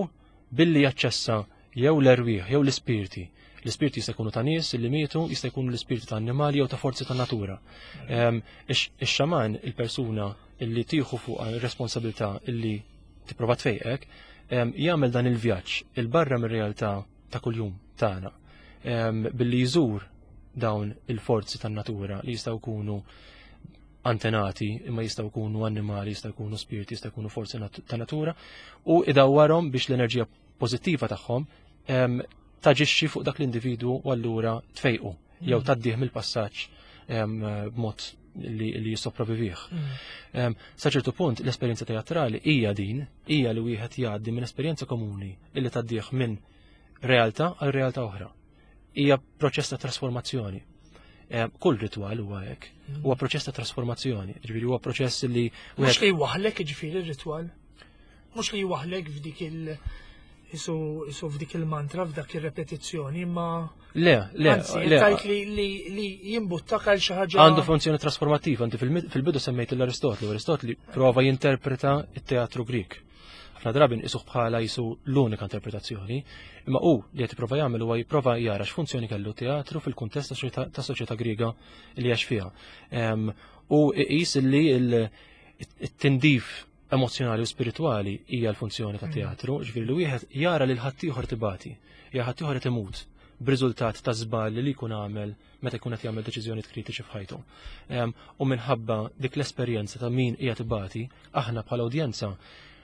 billi jaċċessa jew l-erwieħ jew l-ispirti. L-ispirti jista' jkunu ta' nies li mietu, jista' jkunu l-ispirti ta' annimali jew ta' forzi ta' natura. Ix-xaman, il-persuna illi tieħu fuq ir-responsabilità illi tipprova tfejqek, jagħmel dan il-vjaġġ il-barra mir-realtà ta' kuljum tagħna billi jżur dawn il-forzi tan-natura li jistgħu jkunu antenati imma jistgħu jkunu annimali, jistgħu jkunu spirti, jistgħu jkunu forzi ta' natura u idawwarhom biex l-enerġija pożittiva tagħhom taġixxi fuq dak l-individwu u allura tfejqu jew mm. tgħaddih mill-passaġġ b'mod li, li jissopravvivih. Mm. Sa ċertu punt l-esperjenza teatrali hija din, hija li wieħed jgħaddi minn esperjenza komuni illi tgħaddih minn realtà għal realtà oħra. Hija proċess ta' trasformazzjoni. Kull ritwal huwa hekk. Mm. Huwa proċess ta' trasformazzjoni, ġifieri huwa proċess li Mhux li jwaħlek ġifieri r-ritwal. Mhux li jwaħlek f'dik il- isu isu f'dik il-mantra, f'dak ir-repetizzjoni, imma Le, le, anzi, le. tajt li li li jimbuttak għal xi ħaġa. Għandu funzjoni trasformattiva, inti fil-bidu semmejt l-Aristotli, u Aristotli prova jinterpreta it-teatru Grik. Ħafna drabi nqisuh bħala jisu l-unika interpretazzjoni, imma hu li qed jipprova jagħmel huwa jipprova jara x'funzjoni kellu teatru fil-kuntest ta' soċjetà Griega li għax fiha. U iqis li it-tindif emozjonali u spiritwali hija l-funzjoni ta' mm. teatru, ġifieri li wieħed jara lil ħaddieħor tibati, jara ħaddieħor qed imut b'riżultat ta' żball li jkun għamel meta jkun qed jagħmel deċiżjonijiet kritiċi f'ħajtu. U minħabba dik l-esperjenza ta' min qiegħed ibati, aħna bħala udjenza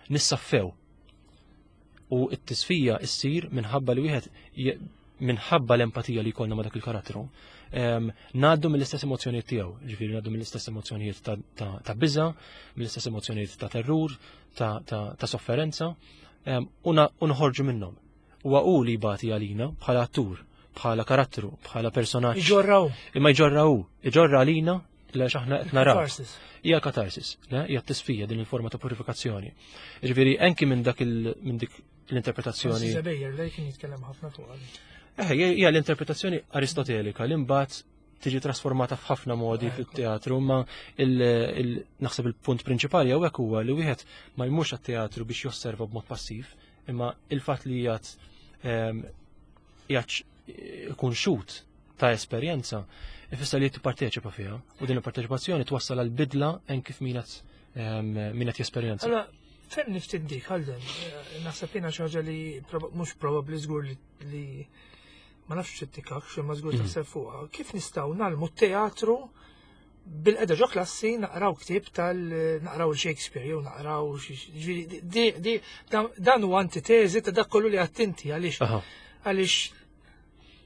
nissaffew. U t-tisfija ssir minħabba li wieħed minħabba l-empatija li jkollna ma' dak il-karattru, ngħaddu mill-istess emozzjonijiet tiegħu, ġifieri ngħaddu mill-istess emozzjonijiet ta' biża, mill-istess emozzjonijiet ta' terrur, ta' sofferenza, u nħorġu minnhom. Huwa hu li jbati għalina bħala attur, bħala karattru, bħala personaġġ. Iġorraw. Imma jġorra hu, iġorra għalina għax aħna qed naraw. Hija katarsis, le? Hija tisfija din il-forma ta' purifikazzjoni. Ġifieri anki minn dak minn dik l-interpretazzjoni. Zebejer, lej kien jitkellem ħafna fuq. Eh, hija l-interpretazzjoni aristotelika li mbagħad tiġi trasformata f'ħafna modi fit-teatru, ma naħseb il-punt prinċipali hawnhekk huwa li wieħed ma jmurx għat-teatru biex josserva b'mod passiv, imma il-fatt li jgħat ehm, jgħat ikun xut ta' esperjenza ifisser li tipparteċipa fiha u din il-parteċipazzjoni twassal għal bidla en kif min qed ehm, min qed jesperjenza. Allora, fem niftit dik għalden, eh, naħseb jiena xi ħaġa li mhux probabbli żgur li ma nafx x'ittikak, xi ma żgur mm. taħseb fuqha. Kif nistgħu nagħlmu teatru bil-qeda ġo klassi naqraw ktieb tal naqraw il-Shakespeare jew naqraw ġifieri dan huwa antiteżi ta' dak kollu li għattinti għaliex għaliex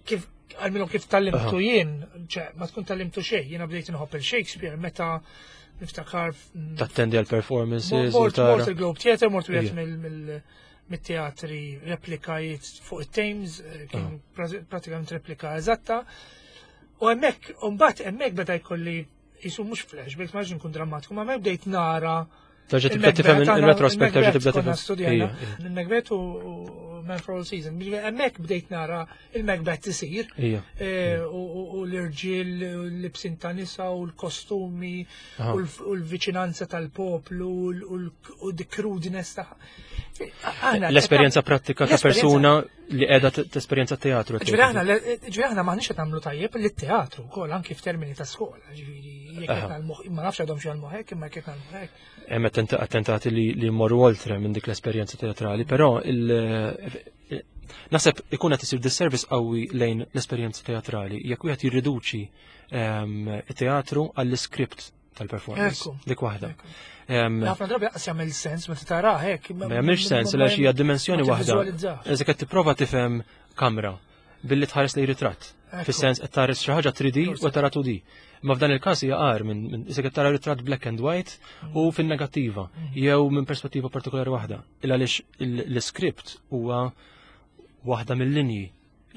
kif għalminu kif tallimtu jien, ċe, ma tkun tallimtu xejn, jiena bdejt inħobb il-Shakespeare meta niftakar. Tattendi għal performances. Mort il-Globe Theatre, mort wieħed mill-teatri replikajiet fuq it-Thames, eh, kien pratikament replika eżatta. U hemmhekk, u mbagħad hemmhekk beda jkolli jisu mhux flashback, ma nkun drammatiku, ma bdejt nara. Terġa' tibda tifhem il-retrospect, terġa' tibda tifhem. Il-Macbeth u Man for All Seasons. Hemmhekk bdejt nara il-Macbeth isir. Eh, u l-irġiel l-libsin ta' nisa u l-kostumi u l-viċinanza tal-poplu u the crudeness ta' L-esperjenza prattika ta' persuna li qiegħda tesperjenza teatru. Ġifieri aħna m'aħniex qed nagħmlu tajjeb li teatru wkoll anki f'termini ta' skola, ġifieri jekk qed nagħmlu ma nafx għadhom xi għalmu hekk imma jekk qed nagħmlu hekk. Hemm attentati li jmorru oltre minn dik l-esperjenza teatrali, però naħseb ikun qed isir disservice qawwi lejn l-esperjenza teatrali jekk wieħed jirriduċi it-teatru għall-iskript tal-performance. Dik waħda. Ħafna drabi qas jagħmel sens meta tara hekk. Ma jagħmilx sens għaliex hija dimensjoni waħda. Eżek qed tipprova tifhem kamra billi tħares li ritratt. Fis-sens qed tħares xi ħaġa 3D u tara 2D. Ma f'dan il-każ hija qar minn isek qed tara ritratt black and white u fin-negattiva jew minn perspettiva partikolari waħda. Il għaliex l-iskript huwa waħda mill-linji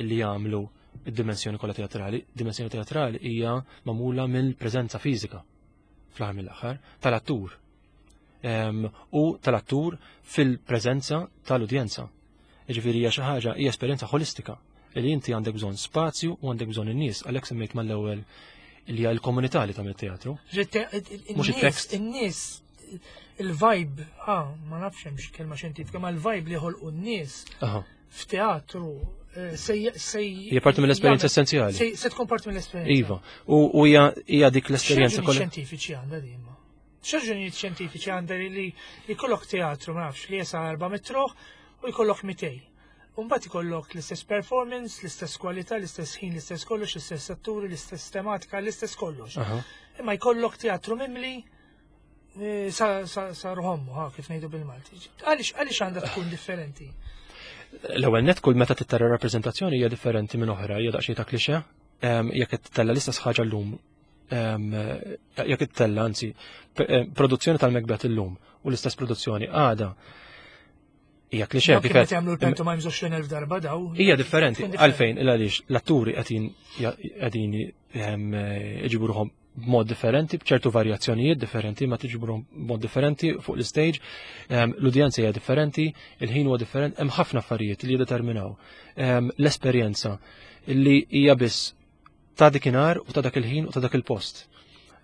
li jagħmlu id-dimensjoni kollha teatrali. Dimensjoni teatrali hija magħmula mill-preżenza fiżika fl-aħħar mill-aħħar tal-attur. U tal-attur fil-preżenza tal-udjenza. Jiġifieri hija xi ħaġa hija esperjenza ħolistika li inti għandek bżonn spazju u għandek bżonn in-nies għalhekk semmejt mal-ewwel li hija l-komunità li tagħmel teatru. Mhux it-tekst. In-nies il-vibe, ah, ma nafx hemm kelma xjentifika, ma l-vibe li ħolqu n-nies f'teatru eh, se se Hija parti mill-esperjenza essenzjali. Se tkun parti mill-esperjenza. Iva, u hija dik l-esperjenza kollha. Xjentifiċi għandha din ma. X'raġunijiet xjentifiċi għandha li jkollok teatru ma nafx li jesa 400 ruħ u jkollok 200. Umbat ikollok l-istess performance, l-istess kwalità, l-istess ħin, l-istess kollox, l-istess atturi, l-istess tematika, l-istess kollox. Imma jkollok teatru mimli eh, sa, sa, sa ruħommu, ha, kif ngħidu bil-Malti. Għaliex għaliex għandha tkun differenti? L-ewwel net kull meta tittara rappreżentazzjoni hija differenti minn oħra, hija daqsxejn ta' klixe. Jekk qed tella l-istess ħaġa llum, jekk qed tella anzi, eh, produzzjoni tal-Macbeth illum u l-istess produzzjoni għada hija klixe. Kif qed jagħmlu l-pantomimes 20,000 darba daw. Hija differenti għalfejn il għaliex l-atturi qegħdin qegħdin iġibu ruħhom b'mod differenti, b'ċertu varjazzjonijiet differenti, ma tiġbru b'mod differenti fuq l-stage, l-udjenza hija differenti, il-ħin huwa differenti, hemm ħafna affarijiet li jiddeterminaw l-esperjenza li hija biss ta' dikinhar u ta' dak il-ħin u ta' dak il-post.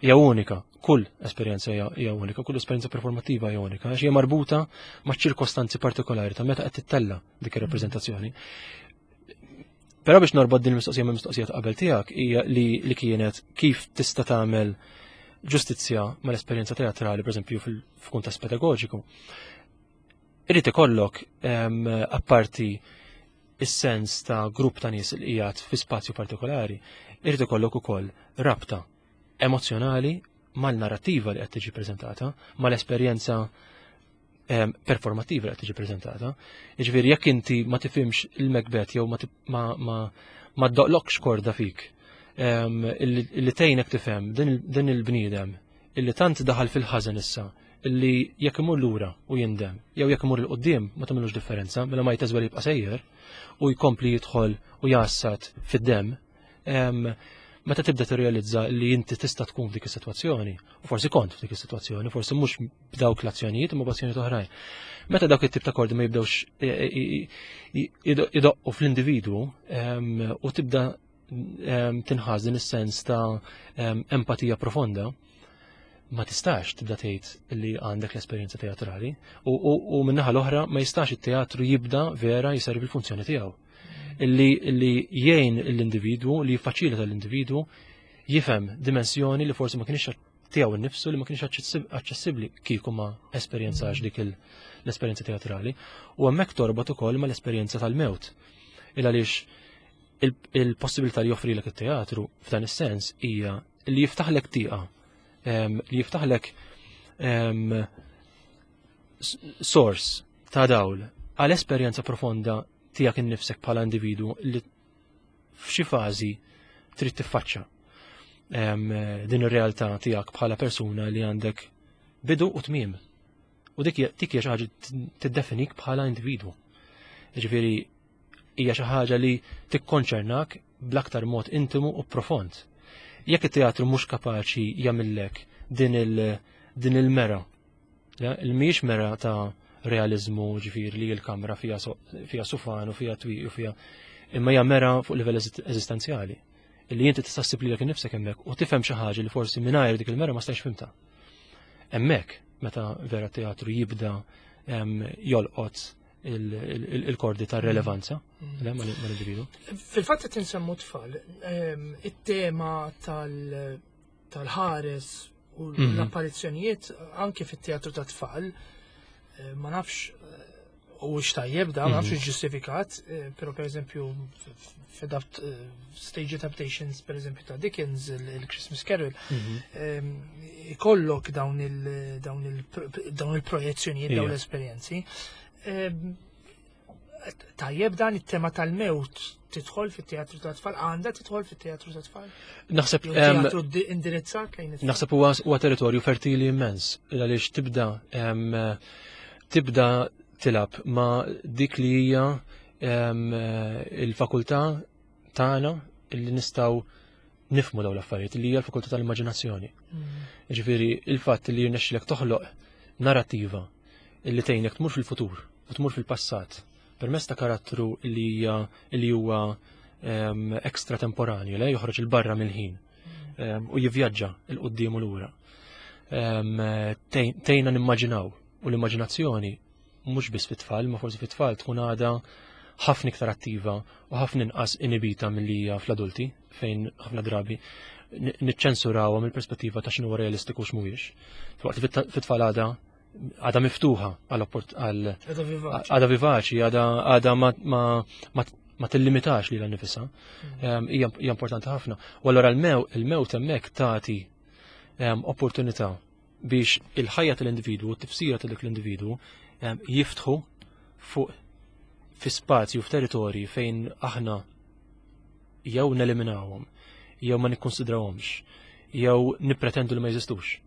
Hija unika, kull esperjenza hija unika, kull esperjenza performattiva hija unika, għax hija marbuta ma' ċirkostanzi partikolari ta' meta qed tittella dik ir-rappreżentazzjoni. Però biex norbot din il-mistoqsija ma' mistoqsija ta' qabel tiegħek hija li, li kienet kif tista' tagħmel ġustizzja mal-esperjenza teatrali, pereżempju f'kuntest pedagoġiku. Irid ikollok apparti is-sens ta' grupp ta' nies li qiegħed fi spazju partikolari, irid ikollok ukoll rabta emozjonali mal-narrattiva li qed tiġi preżentata, mal-esperjenza performattiva li qed tiġi preżentata. Jiġifieri jekk inti ma tifhimx il-Macbeth jew ma ma ddoqlokx korda fik illi tgħinek tifhem din il-bniedem illi tant daħal fil-ħażen issa illi jekk imur lura u jindem jew jekk imur il-qudiem ma tagħmilux differenza mela ma jteżwel jibqa' sejjer u jkompli jidħol u jassat fid-demm meta tibda tirrealizza li inti tista' tkun f'dik is-sitwazzjoni, u forsi kont f'dik is-sitwazzjoni, forsi mhux b'dawk l-azzjonijiet imma b'azzjonijiet oħrajn. Meta dawk it-tip ta' kordi ma jibdewx e, e, e, idoqqu fl-individwu u tibda tinħaż din is-sens ta' empatija profonda, ma tistax tibda tgħid li għandek l-esperjenza teatrali u min-naħa l-oħra ma jistax it-teatru jibda vera jiservi l-funzjoni tiegħu. Illi illi jgħin l-individwu, li jiffaċilita l-individwu jifhem dimensjoni li forsi ma kienx tiegħu nnifsu li ma kienx aċċessibbli kieku ma esperjenzax dik l-esperjenza teatrali. U hemmhekk torbot ukoll mal-esperjenza tal-mewt. Il għaliex il-possibilità li joffrilek it-teatru f'dan is-sens hija li jiftaħlek tieqa, li jiftaħlek sors ta' dawl għal esperjenza profonda tiegħek innifsek bħala individwu li f'xi fażi trid tiffaċċa din ir-realtà tiegħek bħala persuna li għandek bidu u tmiem. U dik dik hija xi ħaġa tiddefinik bħala individwu. Jiġifieri hija xi ħaġa li tikkonċernak bl-aktar mod intimu u profond. Jekk it-teatru mhux kapaċi jagħmillek din il din il-mera, il-mhijiex mera ta' realizmu, ġifieri li l-kamra fija sufan u fija twieqi u fija, imma hija mera fuq livell eżistenzjali illi inti tista' ssib lilek innifsek hemmhekk u tifhem xi ħaġa li forsi mingħajr dik il-mera ma stajx fhimtha. Hemmhekk meta vera teatru jibda jolqot il-kordi ta' relevanza mm. mal-individu. Fil-fatt qed insemmu tfal, it-tema tal-ħares u l-apparizzjonijiet anke fit-teatru ta' tfal, ma nafx u tajjeb da, ma nafx ġustifikat, però per eżempju f'adapt stage adaptations per eżempju ta' Dickens, il-Christmas Carol, ikollok dawn il-projezzjonijiet, dawn l-esperjenzi. Tajjeb dan it-tema tal-mewt tidħol fit-teatru ta' tfal, għandha tidħol fit-teatru ta' tfal? Naħseb teatru indirizzat lejn it-tfal. Naħseb huwa territorju fertili immens għaliex tibda tilab ma' dik li hija il-fakultà tagħna li nistgħu nifmu dawn l-affarijiet li hija l-fakultà tal-immaġinazzjoni. Ġifieri il-fatt li jirnexxilek toħloq narrattiva li tgħinek tmur fil-futur u tmur fil-passat permezz ta' karattru li hija li huwa extratemporanju, le joħroġ il barra mill-ħin u jivvjaġġa 'l quddiem u lura. Tgħinna nimmaġinaw u l-immaġinazzjoni mhux biss fit-tfal, ma forsi fit-tfal tkun għadha ħafna iktar attiva u ħafna inqas inibita milli hija fl-adulti, fejn ħafna drabi niċċensurawha mill-perspettiva ta' x'inhu realistiku u x'mhuwiex. Waqt li fit-tfal għadha miftuħa għal għadha vivaċi, għadha ma tillimitax lilha nnifisha. Hija importanti ħafna. U allura il-mewt hemmhekk tagħti opportunità biex il-ħajja tal-individwu, t-tifsira ta' dik l-individwu jiftħu fuq fi spazju, f'territorji fejn aħna jew neliminawhom, jew ma nikkonsidrawhomx, jew nippretendu li ma jeżistux.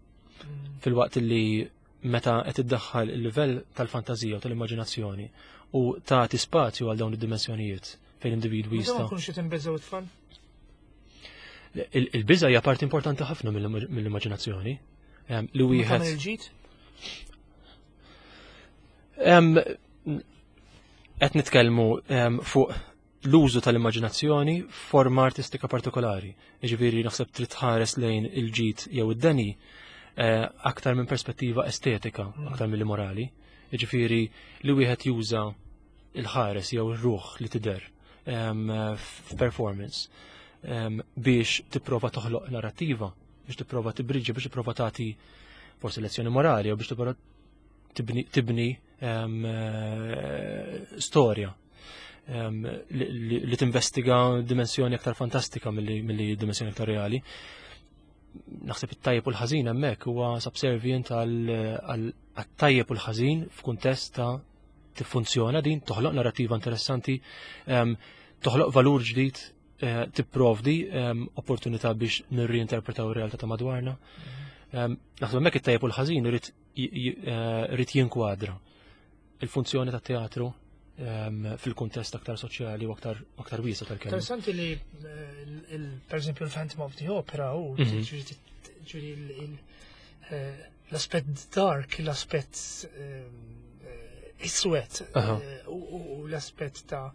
Fil-waqt li meta qed iddaħħal il-livell tal-fantażija u tal-immaġinazzjoni u tagħti spazju għal dawn id-dimensjonijiet fejn individwi jista'. Ma nkunx qed inbeżgħu it-tfal? Il-biża hija parti importanti ħafna mill-immaġinazzjoni. Li wieħed. Il-ġid? Qed nitkellmu fuq l-użu tal-immaġinazzjoni f'forma artistika partikolari. Jiġifieri naħseb trid tħares lejn il-ġid jew id-deni aktar minn perspettiva estetika, aktar milli morali. Jiġifieri li wieħed juża il-ħares jew ir-ruħ li tidher f'performance biex tipprova toħloq narrattiva, biex tipprova tibriġi, biex tipprova tagħti forsi lezzjoni morali jew biex tipprova tibni storja li tinvestiga dimensjoni aktar fantastika milli dimensjoni aktar reali. Naħseb it-tajjeb u l-ħażin hemmhekk huwa subservient għal tajjeb u l-ħażin f'kuntest ta' tiffunzjona din, toħloq narrativa interessanti, toħloq valur ġdid, tipprovdi opportunità biex nirriinterpretaw ir-realtà ta' madwarna. Naħseb hemmhekk it-tajjeb u l-ħażin irid jinkwadra il-funzjoni ta' teatru fil-kuntest aktar soċjali u aktar wiesa' tal-kelma. Interessanti li per eżempju il-Phantom of the Opera u ġifieri l-aspett dark, l-aspett iswed u l-aspett ta'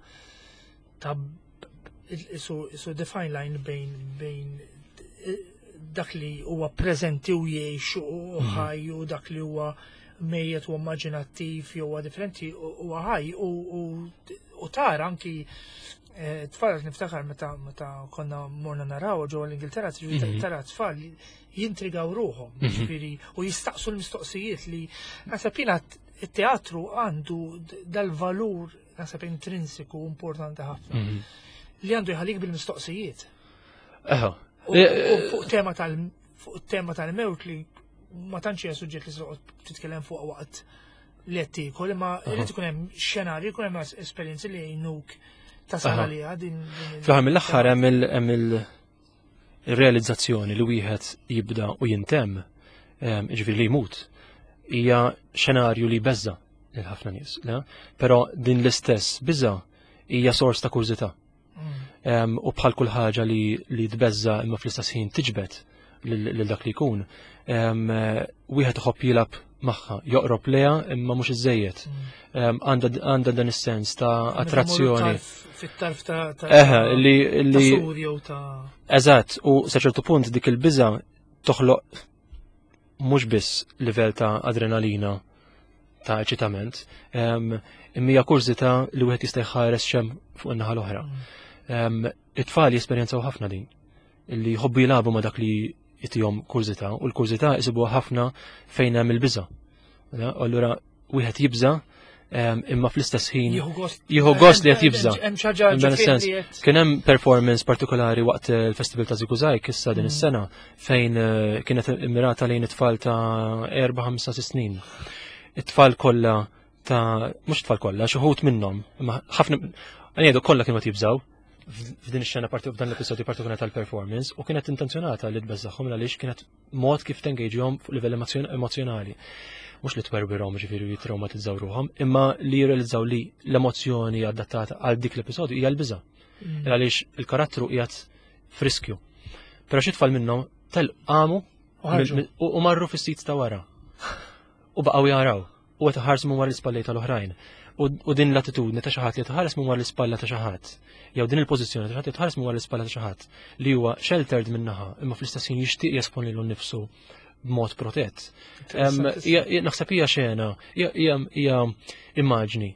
isu the fine line bejn dak li huwa preżenti u jgħix u ħaj u dak li huwa mejjet u immaġinattiv jew huwa differenti u ħaj u tara anki tfal, niftakar meta konna morna naraw ġewwa l-Ingilterra, tara tfal jintrigaw ruħhom, ġifieri, u jistaqsu l-mistoqsijiet li naħseb jiena it-teatru għandu dal-valur, naħseb, intrinsiku importanti ħafna li għandu jħallik bil-mistoqsijiet. U fuq tema tal-mewt li ma tantx hija suġġett li toqgħod titkellem fuq waqt li qed tiekol, imma irid ikun hemm xenarju, jkun hemm esperjenzi li jgħinuk tasal għaliha din. Fl-aħħar mill-aħħar hemm il-realizzazzjoni li wieħed jibda u jintemm, ġifieri li jmut, hija xenarju li beża lil ħafna nies, le? Però din l-istess biża hija sors ta' kurżità. U bħal kull ħaġa li tbeżza imma fl-istess ħin tiġbed. lil dak li jkun, wieħed iħobb jilgħab magħha, joqrob leha imma mhux iżejjed. Għandha dan is-sens ta' attrazzjoni. Fit-tarf ta' Eħe, li li ta' Eżatt, u sa ċertu punt dik il-biża toħloq mhux biss livell ta' adrenalina ta' eċitament, imma hija kurżità li wieħed jista' jħares xem fuq in-naħa l-oħra. It-tfal jesperjenzaw ħafna din, li jħobbu jilagħbu ma' dak li jtihom kurżità, u l-kurżità jsibuha ħafna fejn hemm il-biża'. Allura wieħed jibża' imma fl-istess ħin jieħu gost li qed jibża. Sens. Kien hemm performance partikolari waqt il-Festival ta' Żigużajg issa din mm. is-sena fejn eh, kienet immirata lejn it-tfal ta' 4, 5, 6 snin. It-tfal kollha ta' mhux tfal kollha, xi wħud minnhom, imma ħafna ngħidu kollha kienu qed jibżgħu f'din ix-xena parti f'dan l-episodju partikolari tal-performance u kienet intenzjonata li tbeżżagħhom għaliex kienet mod kif tengagehom fuq livell emozjonali. Mhux li twerwirhom ġifieri jitraumatizzaw ruħhom, imma li jirrealizzaw li l-emozzjoni adattata għal dik l-episodju hija l-biża'. Mm. Għaliex il-karattru qiegħed friskju. Però xi tfal minnhom tel qamu u marru fis-sit ta' wara. U baqgħu jaraw u qed iħarsu minn wara l-ispallej tal-oħrajn. U din l-attitudni ta' xi ħadd li tħares minn wara l-ispalla ta' xi ħadd, jew din il-pożizzjoni ta' xi ħadd li tħares minn wara l-ispalla ta' xi ħadd li huwa sheltered minn naħa imma fl-istess ħin jixtieq jesponi lilu nnifsu b'mod protett. Naħseb hija xena, hija immaġni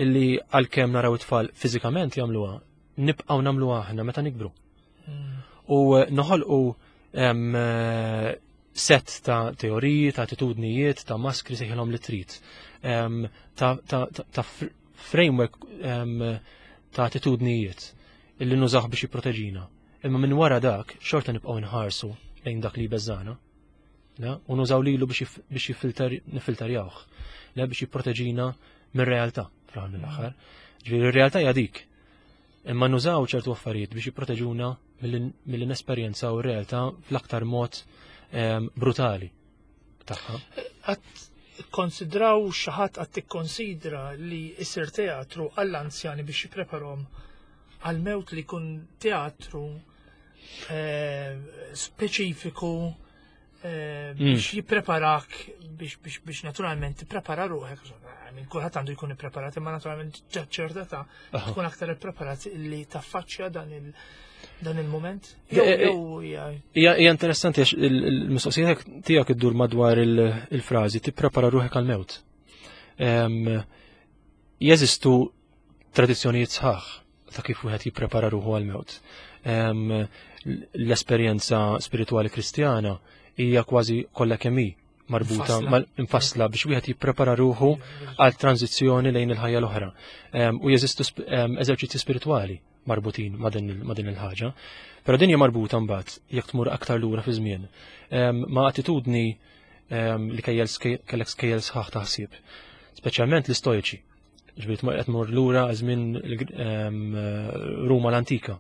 illi għalkemm naraw it-tfal fiżikament jagħmluha, nibqgħu nagħmluha aħna meta nikbru. Hmm. U noħolqu set ta' teoriji, ta' attitudnijiet, ta' maskri sejħilhom li trid, ta' framework ta' attitudnijiet illi nużaw biex jipproteġina. Imma minn wara dak, xorta nibqgħu nħarsu lejn dak li jbeżżana. U nużaw lilu biex nifilterjawh, biex jipproteġina mir-realtà fl-aħħar mill-aħħar. Ġifieri r-realtà hija dik. Imma nużaw ċertu affarijiet biex jipproteġuna milli nesperjenzaw ir-realtà fl-aktar mod ehm, brutali tagħha. Qatt konsidraw xi ħadd qatt tikkonsidra li isir teatru għall-anzjani biex jippreparhom għall-mewt li jkun teatru eh, speċifiku eh, mm. biex jippreparak biex biex biex naturalment tipprepara ruħek. Minn kulħadd għandu jkun ippreparat, imma naturalment ċerta ta' tkun aktar ippreparat li taffaċċja dan il- dan il-moment. Eh, eh, hija interessanti għax il-mistoqsija tiegħek iddur madwar il-frażi tipprepara ruħek għal-mewt. Jeżistu tradizzjonijiet sħaħ ta' kif wieħed jipprepara ruħu għall-mewt. L-esperjenza spiritwali Kristjana hija kważi kollha kemm hi marbuta infassla biex wieħed jipprepara ruħu għal tranzizzjoni lejn il-ħajja l-oħra. U jeżistu eżerċizzji spiritwali marbutin ma' din il-ħaġa. Però din hija marbuta mbagħad jekk tmur aktar lura fi żmien ma' attitudni li kellek skejjel sħaħ ta' ħsieb, speċjalment l-istoiċi. Ġifieri qed tmur lura żmien Ruma l-antika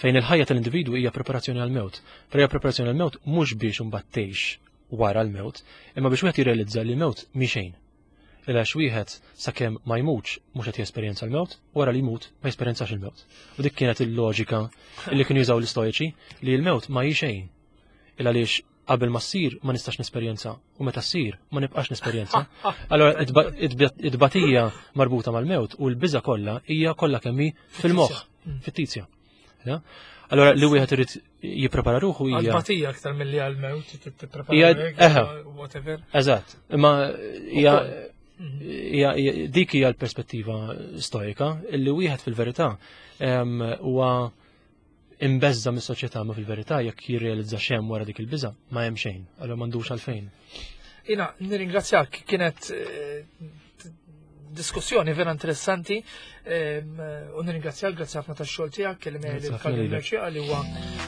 fejn il-ħajja tal-individwu hija preparazzjoni għal-mewt. Però hija preparazzjoni għal-mewt mhux biex imbagħad tgħix wara l-mewt, imma biex wieħed jirrealizza li l-mewt mhi xejn. Għax wieħed sakemm ma jmutx mhux qed jesperjenza l-mewt, wara li jmut ma jesperjenzax il-mewt. U dik kienet il-loġika li kienu jużaw l-istoiċi li l-mewt ma hi xejn. Il għaliex qabel ma ssir ma nistax nesperjenza u meta ssir ma nibqax nesperjenza. Allora it-tbatija marbuta mal-mewt u l-biża kollha hija kollha kemm hi fil-moħħ, mm. fit-tizja. Allora li wieħed irid jipprepara ruħu hija. Għal-batija aktar milli għal-mewt tipprepara whatever. Eżatt, imma hija mhm. dik hija l-perspettiva stoika illi wieħed fil-verità huwa imbeżża mis-soċjetà ma fil-verità jekk jirrealizza x'hemm wara dik il-biża' ma hemm xejn, allura m'għandux għalfejn. Ina, nirringrazzjak, kienet eh, diskussjoni vera interessanti u nirringrazzjak, grazzi ħafna tax-xogħol tiegħek, kellim lil Merċieqa li huwa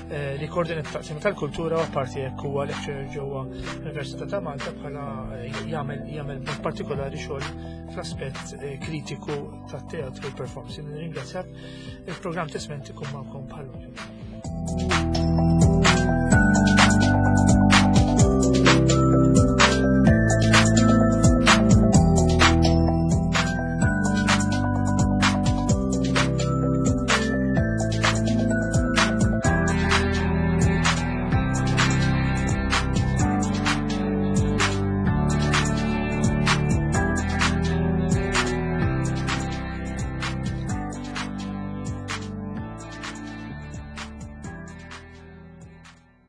eh, li koordinat taqsim tal-kultura u apparti jekk huwa lecturer ġewwa l-Università ta' Malta bħala eh, jagħmel jagħmel partikolari xogħol fl-aspett kritiku tat-teatru u performance. Nirringrazzjak. Il-programm Tesmenti kun magħkom bħal.